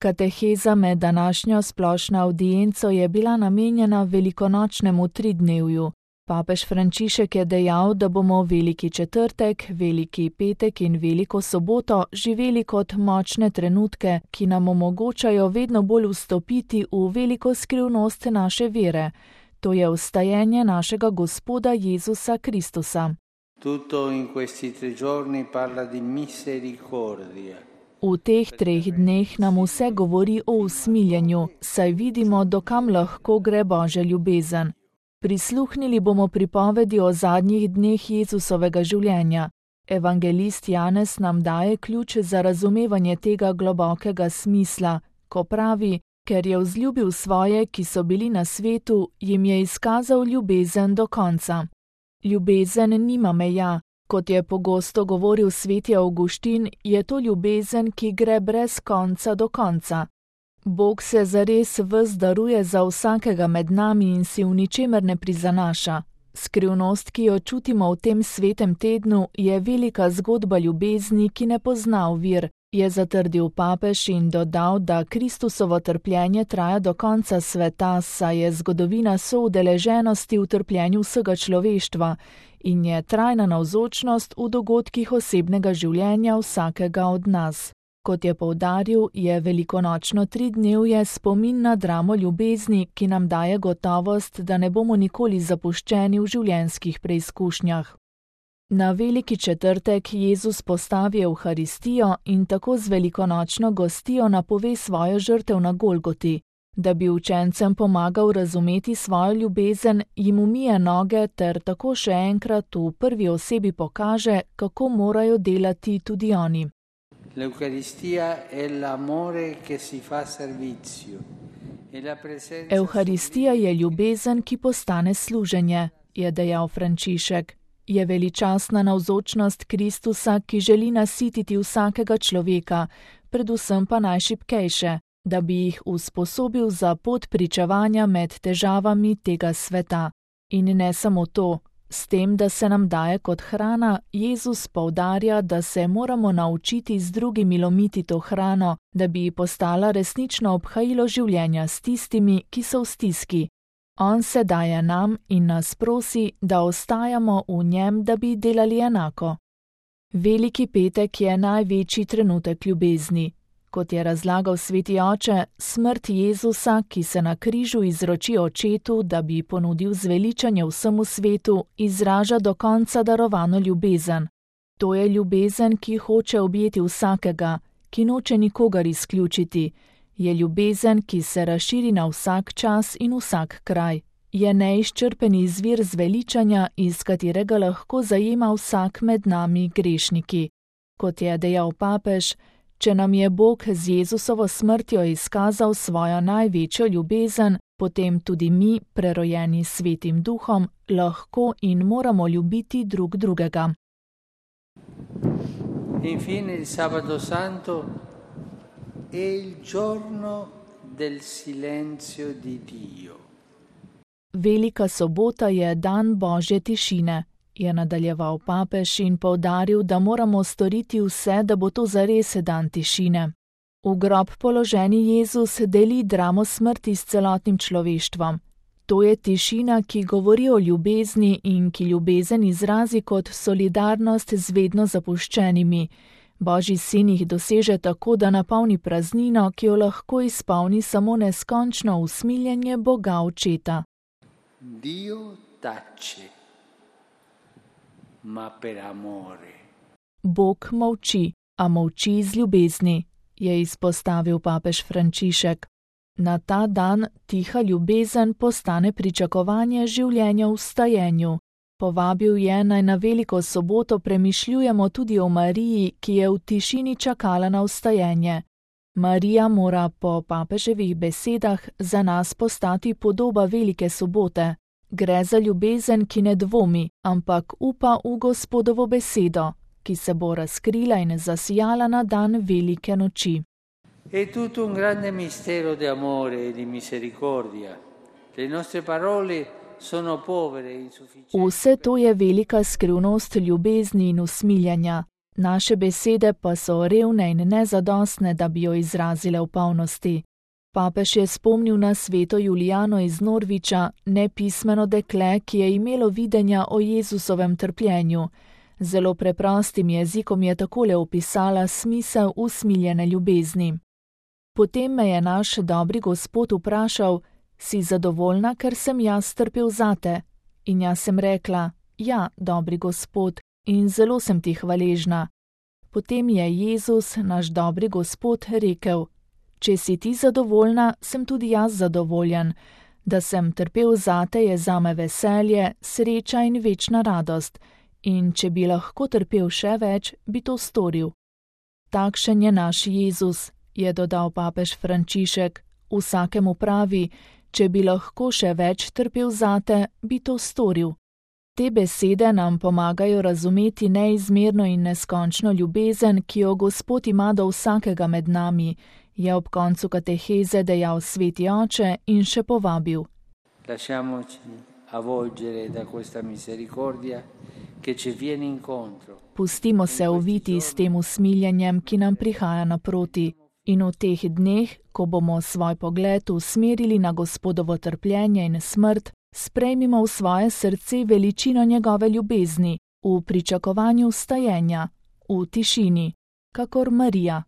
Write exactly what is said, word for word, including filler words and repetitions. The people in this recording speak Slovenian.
Kateheza med današnjo splošno avdienco je bila namenjena velikonočnemu tridnevju. Papež Frančišek je dejal, da bomo veliki četrtek, veliki petek in veliko soboto živeli kot močne trenutke, ki nam omogočajo vedno bolj vstopiti v veliko skrivnost naše vere. To je vstajenje našega Gospoda Jezusa Kristusa. Tutto in questi tre giorni parla di misericordia. V teh treh dneh nam vse govori o usmiljenju, saj vidimo, dokam lahko gre Božja ljubezen. Prisluhnili bomo pripovedi o zadnjih dneh Jezusovega življenja. Evangelist Janez nam daje ključ za razumevanje tega globokega smisla, ko pravi, ker je vzljubil svoje, ki so bili na svetu, jim je izkazal ljubezen do konca. Ljubezen nima meja. Kot je pogosto govoril sveti Avguštin, je to ljubezen, ki gre brez konca do konca. Bog se zares ves daruje za vsakega med nami in si v ničemer ne prizanaša. Skrivnost, ki jo čutimo v tem svetem tednu, je velika zgodba ljubezni, ki ne pozna ovir, je zatrdil papež in dodal, da Kristusovo trpljenje traja do konca sveta, saj je zgodovina soudeleženosti v trpljenju vsega človeštva in je trajna navzočnost v dogodkih osebnega življenja vsakega od nas. Kot je poudaril, je velikonočno tridnevje spomin na dramo ljubezni, ki nam daje gotovost, da ne bomo nikoli zapuščeni v življenjskih preizkušnjah. Na veliki četrtek Jezus postavi Evharistijo in tako z velikonočno gostijo napove svojo žrtev na Golgoti. Da bi učencem pomagal razumeti svojo ljubezen, jim umije noge ter tako še enkrat v prvi osebi pokaže, kako morajo delati tudi oni. Evharistija je ljubezen, ki postane služenje, je dejal Frančišek. Je veličastna navzočnost Kristusa, ki želi nasititi vsakega človeka, predvsem pa najšibkejše, da bi jih usposobil za pot pričevanja med težavami tega sveta. In ne samo to, s tem, da se nam daje kot hrana, Jezus poudarja, da se moramo naučiti z drugimi lomiti to hrano, da bi postala resnično obhajilo življenja s tistimi, ki so v stiski. On se daje nam in nas prosi, da ostajamo v njem, da bi delali enako. Veliki petek je največji trenutek ljubezni. Kot je razlagal sveti oče, smrt Jezusa, ki se na križu izroči očetu, da bi ponudil zveličanje vsemu svetu, izraža do konca darovano ljubezen. To je ljubezen, ki hoče objeti vsakega, ki noče nikogar izključiti. Je ljubezen, ki se razširi na vsak čas in vsak kraj. Je neizčrpen izvir zveličanja, iz katerega lahko zajema vsak med nami grešniki. Kot je dejal papež, če nam je Bog z Jezusovo smrtjo izkazal svojo največjo ljubezen, potem tudi mi, prerojeni s Svetim Duhom, lahko in moramo ljubiti drug drugega. Infine il sabato santo è il giorno del silenzio di Dio. Velika sobota je dan Božje tišine, je nadaljeval papež in poudaril, da moramo storiti vse, da bo to zares dan tišine. V grob položeni Jezus deli dramo smrti s celotnim človeštvom. To je tišina, ki govori o ljubezni in ki ljubezen izrazi kot solidarnost z vedno zapuščenimi. Božji sin jih doseže tako, da napolni praznino, ki jo lahko izpolni samo neskončno usmiljenje Boga Očeta. Dio tace, ma per amore. Bog molči, a molči z ljubezni, je izpostavil papež Frančišek. Na ta dan tiha ljubezen postane pričakovanje življenja v vstajenju. Povabil je, naj na veliko soboto premišljujemo tudi o Mariji, ki je v tišini čakala na vstajenje. Marija mora po papeževih besedah za nas postati podoba velike sobote. Gre za ljubezen, ki ne dvomi, ampak upa v Gospodovo besedo, ki se bo razkrila in zasijala na dan velike noči. È tutto un grande mistero di amore e di misericordia. Le nostre parole sono povere e insufficienti. Vse to je velika skrivnost ljubezni in usmiljanja. Naše besede pa so revne in nezadostne, da bi jo izrazile v polnosti. Papež je spomnil na sveto Julijano iz Norviča, nepismeno dekle, ki je imelo videnja o Jezusovem trpljenju. Zelo preprostim jezikom je takole opisala smisel usmiljene ljubezni. Potem me je naš dobri Gospod vprašal: si zadovoljna, ker sem jaz trpel zate? In jaz sem rekla: ja, dobri Gospod, in zelo sem ti hvaležna. Potem je Jezus, naš dobri Gospod, rekel: če si ti zadovoljna, sem tudi jaz zadovoljen. Da sem trpel zate, je zame veselje, sreča in večna radost. In če bi lahko trpel še več, bi to storil. Takšen je naš Jezus, je dodal papež Frančišek. Vsakemu pravi: če bi lahko še več trpel zate, bi to storil. Te besede nam pomagajo razumeti neizmerno in neskončno ljubezen, ki jo Gospod ima do vsakega med nami, je ob koncu kateheze dejal sveti oče in še povabil: Lasciamoci avvolgere da questa misericordia che ci viene incontro. Pustimo se oviti s tem usmiljenjem, ki nam prihaja naproti, in v teh dneh, ko bomo svoj pogled usmerili na Gospodovo trpljenje in smrt, sprejmimo v svoje srce veličino njegove ljubezni, v pričakovanju vstajenja, v tišini, kakor Marija.